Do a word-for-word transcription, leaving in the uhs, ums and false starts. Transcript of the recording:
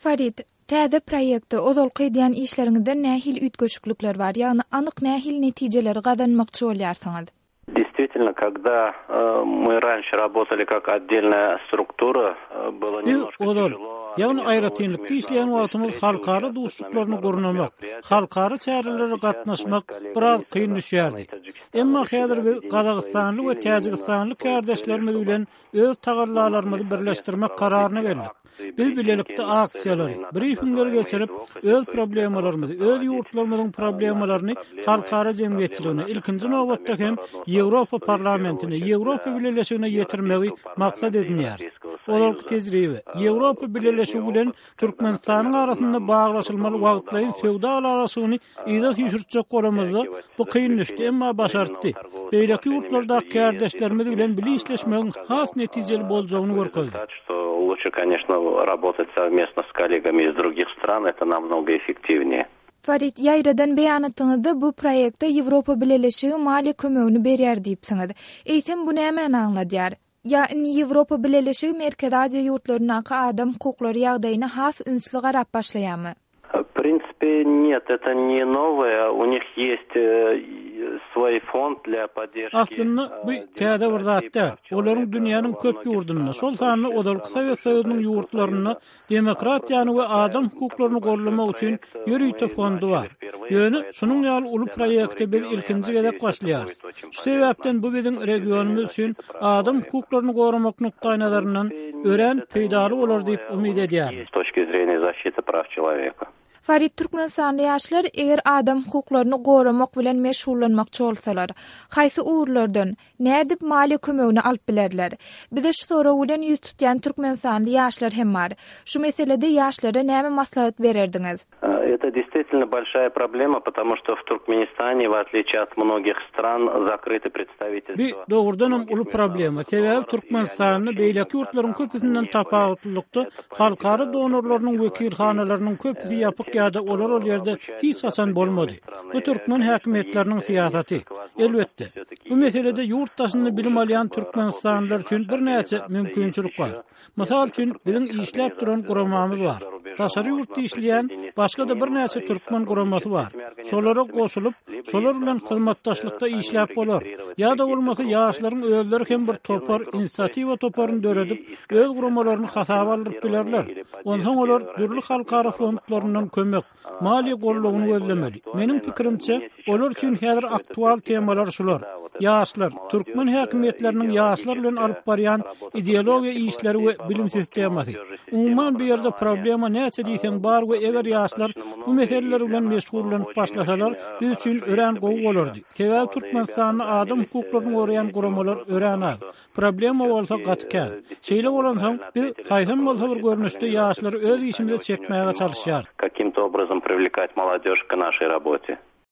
Farid, täze proýektde ozalky edýän işleriňizden nähili üýtgeşiklikler bar? Ýagny anyk nähili netijeleri gazanmakçy bolýarsyňyz? Действительно, когда э, мы раньше работали как отдельная структура, э, было Biz немножко ozal, тяжело ýagny aýratynlykda işleýän wagtymyz halkara duşuşyklaryny gurnamak, halkara çärelere gatnaşmak biraz kyn düşýärdi. Emma häzir biz Gazagystanly we Täjigistanly kärdeşlerimiz bilen öz tagallalarymyzy birleşdirmek kararyna geldik. Biz bilelikde aksiýalary, brifingleri geçirip, öz problemalarymyzy, öz ýurtlarymyzyň problemalaryny halkara jemgyýetçiligine, ilkinji nobatda hem Ýewropa parlamentine, Ýewropa Bileleşigine ýetirmegi maksat edinýär. Ozalky tejribe Ýewropa Bileleşigi bilen Türkmenistanyň arasynda baglaşylmaly wagtlaýyn söwda ylalaşygyny yza süýşürtjek bolamyzda bu kyn düşdi, emma başartdy. Beýleki ýurtlarda kärdeşlerimiz bilen bile işleşmegiň has netijeli boljagyny görkezdi. Что лучше, конечно, работать совместно с коллегами из других стран, это намного эффективнее. Farid, ýaýradan beýanatyňyzda bu proýektde Ýewropa Bileleşigi maliýe kömegini berýär diýipsiňiz. Eýsem bu nämäni aňladýar? Ýa indi Ýewropa Bileleşigi Merkezi Aziýa ýurtlaryndaky adam hukuklary ýagdaýyna has ünsli garap başlaýarmy? В принципе, нет, это не новое. У них есть э, свой фонд для поддержки. Aslynda bu täze bir zat däl. Olaryň dünýäniň köp ýurdunda, şol sanda ozalky Sowet Soýuzynyň ýurtlarynda demokratiýany we adam hukuklaryny gollamak üçin ýörite fondy bar. Ýöne şunuň ýaly uly proýekte biz ilkinji gezek başlaýarys. Şu sebäpden bu biziň regionymyz üçin adam hukuklaryny goramak nukdaýnazaryndan örän peýdaly bolar diýip umyt edýärin. С точки зрения защиты прав человека. Farid, Türkmenistanly ýaşlar eger adam hukuklaryny goramak bilen meşgullanmakçy bolsalar, haýsy ugurlardan nädip maliýe kömegini alyp bilerler? Bize şu sorag bilen ýüz tutýan Türkmenistanly ýaşlar hem bar. Şu meselede ýaşlara näme maslahat bererdiňiz? Э, Это действительно большая проблема, потому что в Туркменистане, в отличие от многих стран, закрыты представительства. Bu dogrudanam uly problema. Sebäbi Türkmenistanda beýleki ýurtlaryň köpüsinden tapawutlylykda halkara donorlarynyň wekilhanalarynyň köpüsi ýapyk ýa-da olar ol ýerde hiç haçan bolmady. Bu türkmen häkimiýetleriniň syýasaty. Elbetde, bu meselede ýurt daşynda bilim alýan Türkmenistanlylar üçin birnäçe mümkinçilik bar. Mysal üçin biziň işläp duran guramamyz bar. Daşary ýurtda işleýän başga da birnäçe türkmen guramasy bar. Şolara goşulyp, şolar bilen hyzmatdaşlykda işläp bolar. Ýa-da bolmasa ýaşlaryň özleri hem bir topar, inisiatiwa toparyny döredip, öz guramalaryny hasaba aldyryp bilerler. Onsoň olar dürli halkara fondlaryndan kömek, maliýe goldawyny gözlemeli. Meniň pikirimçe, olar üçin häzir aktual temalar şular. Ýaşlar, türkmen häkimiýetleriniň ýaşlar bilen alyp barýan ideologiýa işleri we bilim sistemasy. Umuman bu ýerde problema näçe diýseň bar we eger ýaşlar bu meseleler bilen meşgullanyp başlasalar, biz üçin örän gowy bolardy. Sebäbi Türkmenistanda adam hukuklaryny goraýan guramalar örän az. Problema bolsa gaty kän. Şeýle bolansoň biz haýsam bolsa bir görnüşde ýaşlary öz işimize çekmäge çalışýarys. Каким-то образом привлекать молодежь к нашей работе.